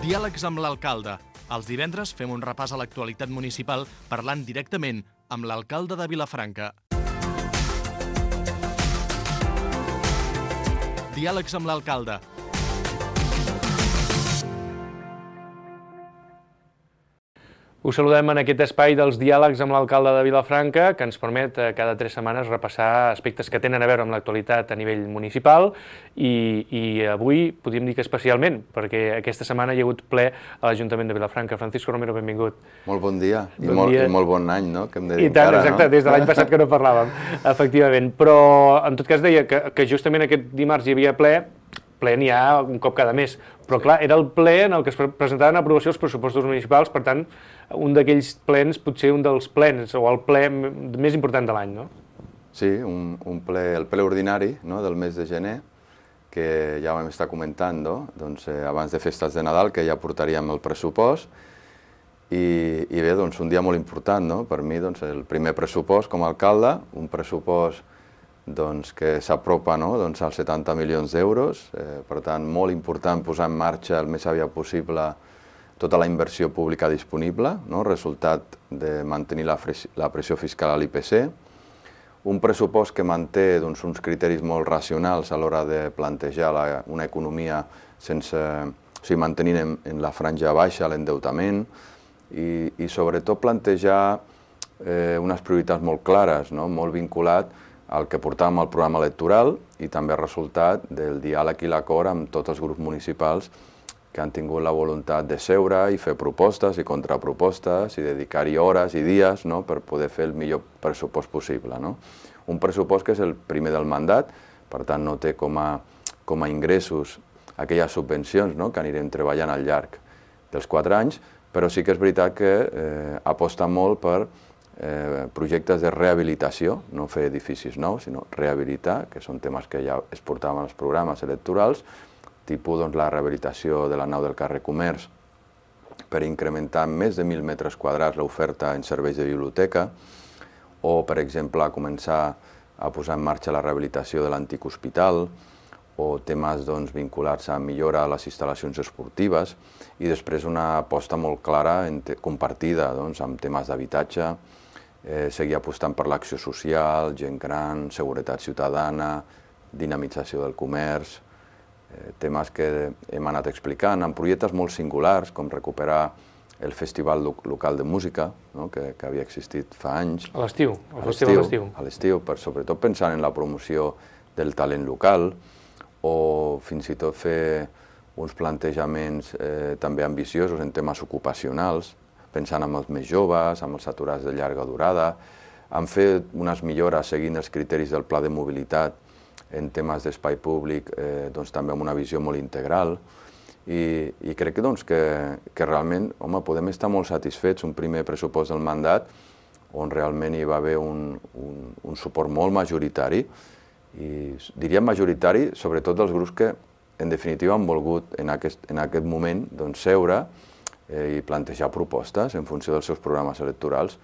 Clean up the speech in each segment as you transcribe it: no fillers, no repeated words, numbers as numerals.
Diàlegs amb l'alcalde. Els divendres fem un repàs a l'actualitat municipal parlant directament amb l'alcalde de Vilafranca. Diàlegs amb l'alcalde. Us saludem en aquest espai dels diàlegs amb l'alcalde de Vilafranca, que ens permet cada 3 setmanes repassar aspectes que tenen a veure amb l'actualitat a nivell municipal i avui podríem dir que especialment, perquè aquesta setmana hi ha hagut ple a l'Ajuntament de Vilafranca. Francisco Romero, benvingut. Molt bon dia i molt bon any, no? Que hem de dir I tant, encara, exacte, no? Des de l'any passat que no parlàvem, efectivament. Però en tot cas deia que justament aquest dimarts hi havia ple n'hi ha un cop cada mes, però clar, era el ple en el que es presentaven a aprovació els pressupostos municipals, per tant, un d'aquells plens, potser un dels plens, o el ple més important de l'any, no? Sí, el ple ordinari, no?, del mes de gener, que ja vam estar comentant, doncs, abans de festes de Nadal, que ja portaríem el pressupost, i bé, doncs, un dia molt important, no?, per mi, doncs, el primer pressupost com a alcalde, un pressupost doncs, que s'apropa, no?, doncs, als 70 milions d'euros, per tant, molt important posar en marxa el més aviat possible tota la inversió pública disponible, no?, resultat de mantenir la pressió fiscal a l'IPC, un pressupost que manté doncs, uns criteris molt racionals a l'hora de plantejar una economia mantenint en la franja baixa l'endeutament i sobretot plantejar unes prioritats molt clares, no?, molt vinculat el que portàvem al programa electoral i també el resultat del diàleg i l'acord amb tots els grups municipals que han tingut la voluntat de seure i fer propostes i contrapropostes i dedicar-hi hores i dies, no?, per poder fer el millor pressupost possible, no? Un pressupost que és el primer del mandat, per tant no té com a ingressos aquelles subvencions, no?, que anirem treballant al llarg dels 4 anys, però sí que és veritat que aposta molt per projectes de rehabilitació, no fer edificis nous, sinó rehabilitar, que són temes que ja es portaven als programes electorals, tipus doncs, la rehabilitació de la nau del carrer Comerç per incrementar més de 1.000 metres quadrats l'oferta en serveis de biblioteca, o, per exemple, començar a posar en marxa la rehabilitació de l'antic hospital, o temes doncs, vinculats a millorar les instal·lacions esportives, i després una aposta molt clara, compartida doncs, amb temes d'habitatge, seguir apostant per l'acció social, gent gran, seguretat ciutadana, dinamització del comerç, temes que hem anat explicant, amb projectes molt singulars, com recuperar el Festival Local de Música, no?, que havia existit fa anys. A l'estiu, el festival d'estiu. A l'estiu, sobretot pensant en la promoció del talent local, o fins i tot fer uns plantejaments també ambiciosos en temes ocupacionals, pensant en els més joves, amb els aturats de llarga durada, han fet unes millores seguint els criteris del pla de mobilitat en temes d'espai públic, doncs, també amb una visió molt integral, i crec que realment, home, podem estar molt satisfets, un primer pressupost del mandat, on realment hi va haver un suport molt majoritari, i diríem majoritari, sobretot dels grups que, en definitiva, han volgut en aquest moment doncs, seure i plantejar propostes en funció dels seus programes electorals,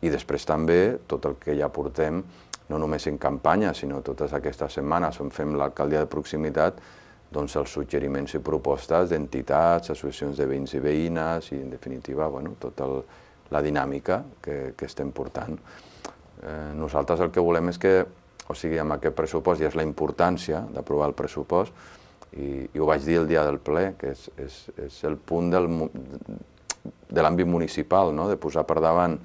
i després també tot el que ja portem, no només en campanya, sinó totes aquestes setmanes on fem l'alcaldia de proximitat, doncs els suggeriments i propostes d'entitats, associacions de veïns i veïnes i, en definitiva, tota la dinàmica que estem portant. Nosaltres el que volem és que, amb aquest pressupost, ja és la importància d'aprovar el pressupost, i ho vaig dir el dia del ple, que és el punt de l'àmbit municipal, no?, de posar per davant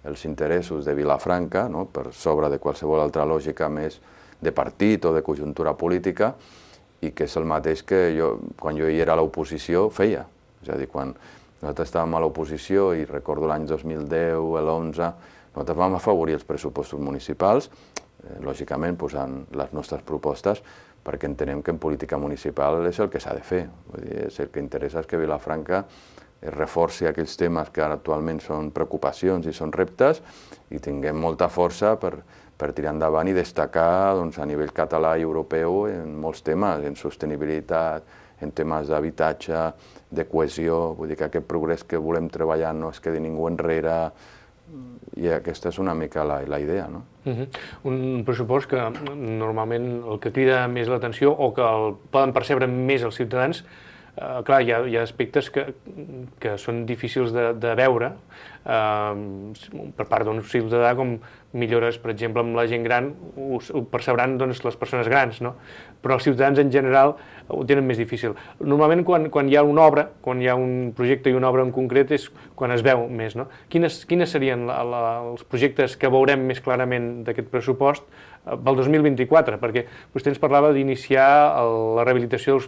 els interessos de Vilafranca, no?, per sobre de qualsevol altra lògica més de partit o de conjuntura política, i que és el mateix que quan jo hi era a l'oposició, feia. És a dir, quan nosaltres estàvem a l'oposició, i recordo l'any 2010, l'11, nosaltres vam afavorir els pressupostos municipals, lògicament posant les nostres propostes, perquè entenem que en política municipal és el que s'ha de fer. Vull dir, el que interessa és que Vilafranca es reforci aquells temes que ara actualment són preocupacions i són reptes, i tinguem molta força per tirar endavant i destacar doncs, a nivell català i europeu en molts temes, en sostenibilitat, en temes d'habitatge, de cohesió. Vull dir que aquest progrés que volem treballar no es quedi ningú enrere, i aquesta és una mica la idea, no? Un pressupost que normalment el que crida més l'atenció o que el poden percebre més els ciutadans Clar, hi ha aspectes que són difícils de veure per part d'un ciutadà, com millores, per exemple, amb la gent gran, ho percebran les persones grans, no? Però els ciutadans en general ho tenen més difícil. Normalment quan hi ha una obra, quan hi ha un projecte i una obra en concret és quan es veu més, no? Quines serien els projectes que veurem més clarament d'aquest pressupost pel 2024? Perquè vostè ens parlava d'iniciar la rehabilitació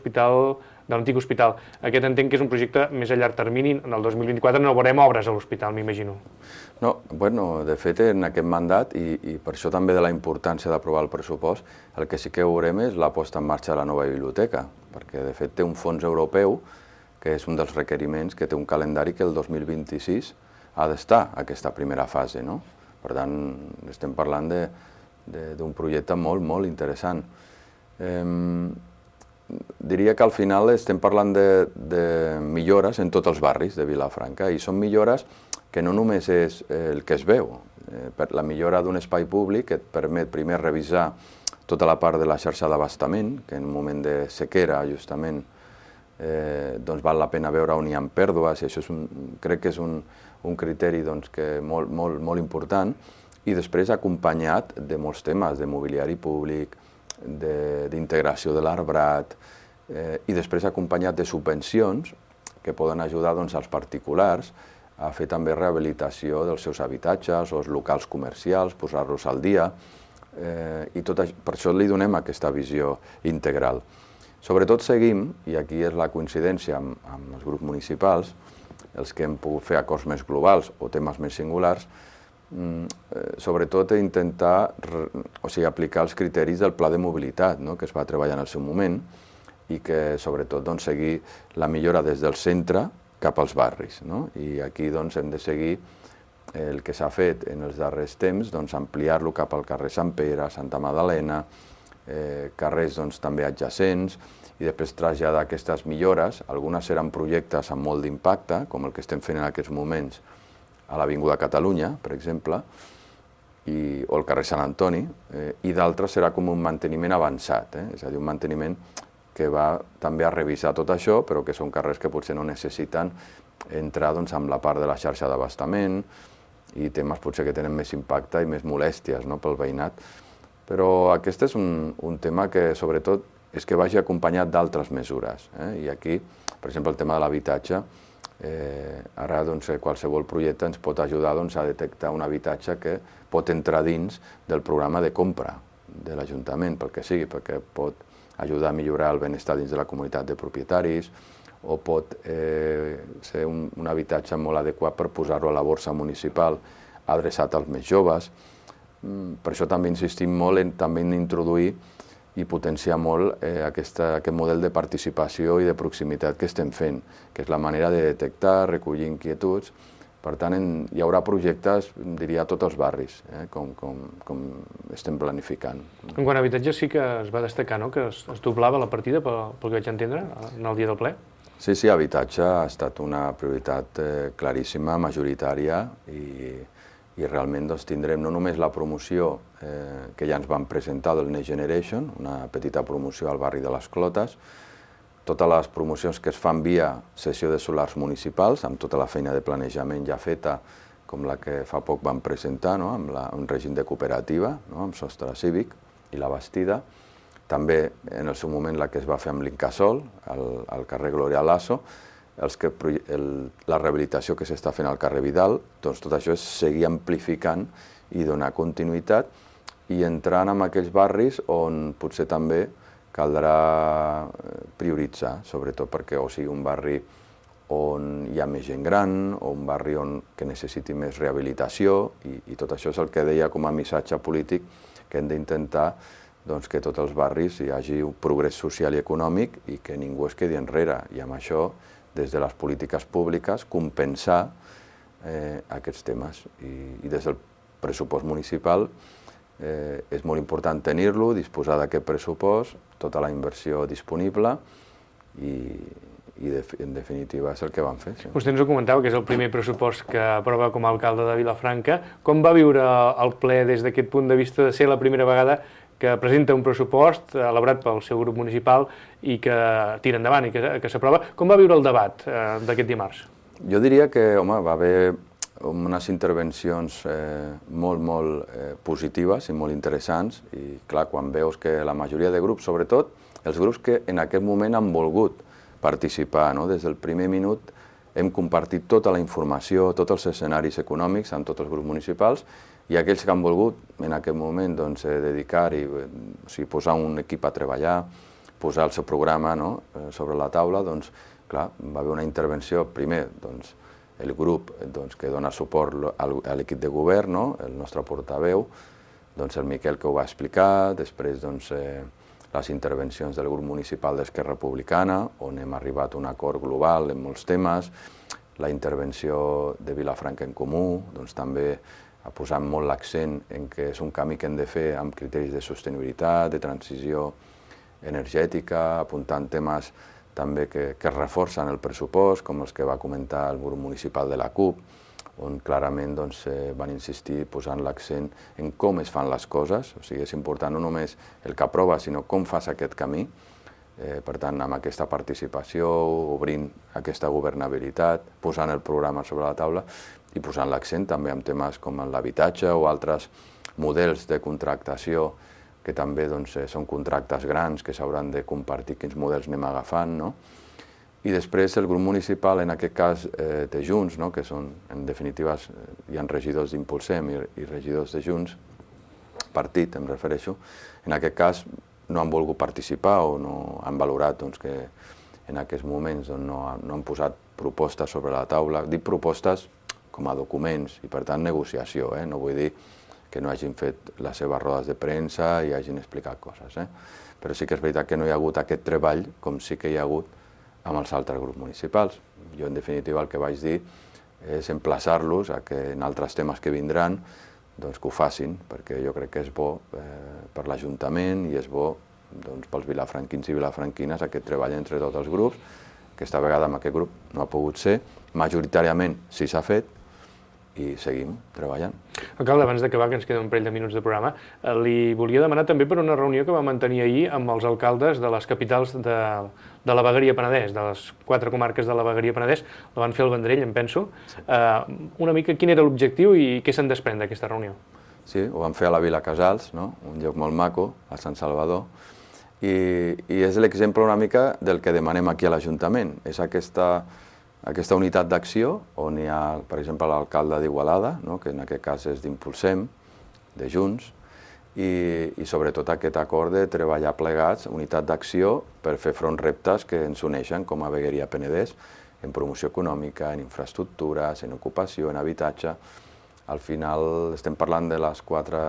de l'antic hospital. Aquest entenc que és un projecte més a llarg termini. En el 2024 no veurem obres a l'hospital, m'imagino. No, bueno, de fet, en aquest mandat, i per això també de la importància d'aprovar el pressupost, el que sí que veurem és la posta en marxa de la nova biblioteca, perquè de fet té un fons europeu, que és un dels requeriments, que té un calendari que el 2026 ha d'estar aquesta primera fase, no? Per tant, estem parlant d'un projecte molt, molt interessant. Diria que al final estem parlant de millores en tots els barris de Vilafranca, i són millores que no només és el que es veu. La millora d'un espai públic que et permet primer revisar tota la part de la xarxa d'abastament, que en un moment de sequera justament doncs val la pena veure on hi ha pèrdues, i això crec que és un criteri molt important, i després acompanyat de molts temes, de mobiliari públic, d'integració de l'arbrat, i després acompanyat de subvencions que poden ajudar als particulars a fer també rehabilitació dels seus habitatges o els locals comercials, posar-los al dia, i per això li donem aquesta visió integral. Sobretot seguim, i aquí és la coincidència amb els grups municipals, els que hem pogut fer acords més globals o temes més singulars, sobretot intentar aplicar els criteris del pla de mobilitat que es va treballar en el seu moment, i que sobretot seguir la millora des del centre cap als barris. I aquí hem de seguir el que s'ha fet en els darrers temps, ampliar-lo cap al carrer Sant Pere, Santa Magdalena, carrers també adjacents, i després traslladar aquestes millores. Algunes seran projectes amb molt d'impacte, com el que estem fent en aquests moments a l'Avinguda Catalunya, per exemple, o al carrer Sant Antoni, i d'altres serà com un manteniment avançat, és a dir, un manteniment que va també a revisar tot això, però que són carrers que potser no necessiten entrar amb la part de la xarxa d'abastament i temes potser que tenen més impacte i més molèsties pel veïnat. Però aquest és un tema que sobretot és que vagi acompanyat d'altres mesures. I aquí, per exemple, el tema de l'habitatge, ara qualsevol projecte ens pot ajudar a detectar un habitatge que pot entrar dins del programa de compra de l'Ajuntament, pel que sigui, perquè pot ajudar a millorar el benestar dins de la comunitat de propietaris, o pot ser un habitatge molt adequat per posar-lo a la borsa municipal adreçat als més joves. Per això també insistim molt en introduir i potenciar molt aquest model de participació i de proximitat que estem fent, que és la manera de detectar, recollir inquietuds. Per tant, hi haurà projectes, diria, a tots els barris, com estem planificant. En quant a habitatge sí que es va destacar, no?, que es doblava la partida, pel que vaig entendre, en el dia del ple. Sí, habitatge ha estat una prioritat claríssima, majoritària, i realment tindrem no només la promoció que ja ens van presentar del Next Generation, una petita promoció al barri de les Clotes, totes les promocions que es fan via cessió de solars municipals, amb tota la feina de planejament ja feta, com la que fa poc van presentar, amb un règim de cooperativa, amb sostre cívic i la Bastida. També en el seu moment la que es va fer amb l'Incasòl, al carrer Gloria Lasso, la rehabilitació que s'està fent al carrer Vidal, doncs tot això és seguir amplificant i donar continuïtat i entrant en aquells barris on potser també caldrà prioritzar, sobretot perquè o sigui un barri on hi ha més gent gran o un barri que necessiti més rehabilitació, i tot això és el que deia com a missatge polític, que hem d'intentar que tots els barris hi hagi un progrés social i econòmic i que ningú es quedi enrere, i amb això des de les polítiques públiques, compensar aquests temes. I des del pressupost municipal és molt important tenir-lo, disposar d'aquest pressupost, tota la inversió disponible, i en definitiva és el que vam fer. Vostè ens ho comentava, que és el primer pressupost que aprova com a alcalde de Vilafranca. Com va viure el ple des d'aquest punt de vista de ser la primera vegada que presenta un pressupost elaborat pel seu grup municipal i que tira endavant i que s'aprova. Com va viure el debat d'aquest dimarts? Jo diria que, home, va haver unes intervencions molt positives i molt interessants i, clar, quan veus que la majoria de grups, sobretot els grups que en aquest moment han volgut participar, no? Des del primer minut hem compartit tota la informació, tots els escenaris econòmics amb tots els grups municipals i aquells que han volgut en aquest moment dedicar-hi, posar un equip a treballar, posar el seu programa sobre la taula, doncs, clar, va haver una intervenció, primer, el grup que dona suport a l'equip de govern, el nostre portaveu, el Miquel que ho va explicar, després les intervencions del grup municipal d'Esquerra Republicana, on hem arribat a un acord global en molts temes, la intervenció de Vilafranca en Comú, també ha posat molt l'accent en que és un camí que hem de fer amb criteris de sostenibilitat, de transició energètica, apuntant temes també que reforcen el pressupost, com els que va comentar el grup municipal de la CUP, on clarament van insistir posant l'accent en com es fan les coses, o sigui, és important no només el que aprova, sinó com fas aquest camí. Per tant, amb aquesta participació, obrint aquesta governabilitat, posant el programa sobre la taula i posant l'accent també en temes com l'habitatge o altres models de contractació que també són contractes grans que s'hauran de compartir quins models anem agafant, no? I després el grup municipal, en aquest cas de Junts, que són, en definitiva, hi ha regidors d'Impulsem i regidors de Junts, partit em refereixo, en aquest cas no han volgut participar o no han valorat que en aquests moments no han posat propostes sobre la taula. Dic propostes com a documents i, per tant, negociació. No vull dir que no hagin fet les seves rodes de premsa i hagin explicat coses. Però sí que és veritat que no hi ha hagut aquest treball com sí que hi ha hagut amb els altres grups municipals. Jo, en definitiva, el que vaig dir és emplaçar-los a que en altres temes que vindran que ho facin, perquè jo crec que és bo per l'Ajuntament i és bo pels vilafranquins i vilafranquines aquest treball entre tots els grups. Aquesta vegada amb aquest grup no ha pogut ser, majoritàriament sí s'ha fet i seguim treballant. Alcalde, abans d'acabar, que ens queda un parell de minuts de programa, li volia demanar també per una reunió que va mantenir ahir amb els alcaldes de les capitals de la Vegueria Penedès, de les 4 comarques de la Vegueria Penedès, la van fer al Vendrell, em penso. Una mica quin era l'objectiu i què se'n desprèn d'aquesta reunió? Sí, ho vam fer a la Vila Casals, un lloc molt maco, a Sant Salvador, i és l'exemple una mica del que demanem aquí a l'Ajuntament. És aquesta unitat d'acció, on hi ha, per exemple, l'alcalde d'Igualada, que en aquest cas és d'Impulsem, de Junts, i sobretot aquest acord de treballar plegats, unitat d'acció, per fer front reptes que ens uneixen com a Vegueria Penedès, en promoció econòmica, en infraestructures, en ocupació, en habitatge. Al final estem parlant de les 4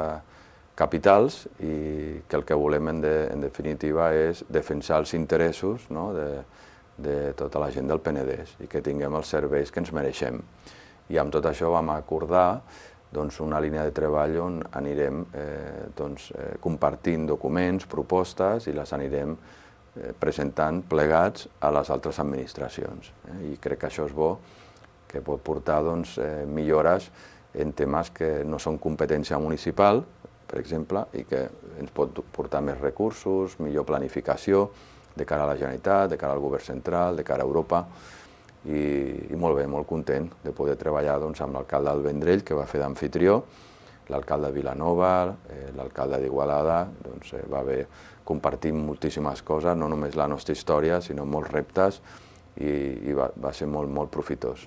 capitals i que el que volem en definitiva és defensar els interessos de tota la gent del Penedès i que tinguem els serveis que ens mereixem. I amb tot això vam acordar una línia de treball on anirem compartint documents, propostes i les anirem presentant plegats a les altres administracions. I crec que això és bo, que pot portar millores en temes que no són competència municipal, per exemple, i que ens pot portar més recursos, millor planificació, de cara a la Generalitat, de cara al govern central, de cara a Europa, i molt bé, molt content de poder treballar amb l'alcalde del Vendrell, que va fer d'amfitrió, l'alcalde de Vilanova, l'alcalde d'Igualada, va haver compartit moltíssimes coses, no només la nostra història, sinó molts reptes, i va ser molt profitós.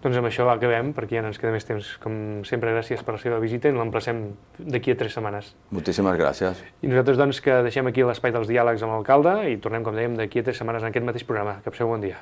Doncs amb això acabem, perquè ja no ens queda més temps. Com sempre, gràcies per la seva visita i l'emplacem d'aquí a 3 setmanes. Moltíssimes gràcies. I nosaltres que deixem aquí l'espai dels diàlegs amb l'alcalde i tornem, com dèiem, d'aquí a 3 setmanes en aquest mateix programa. Que passeu bon dia.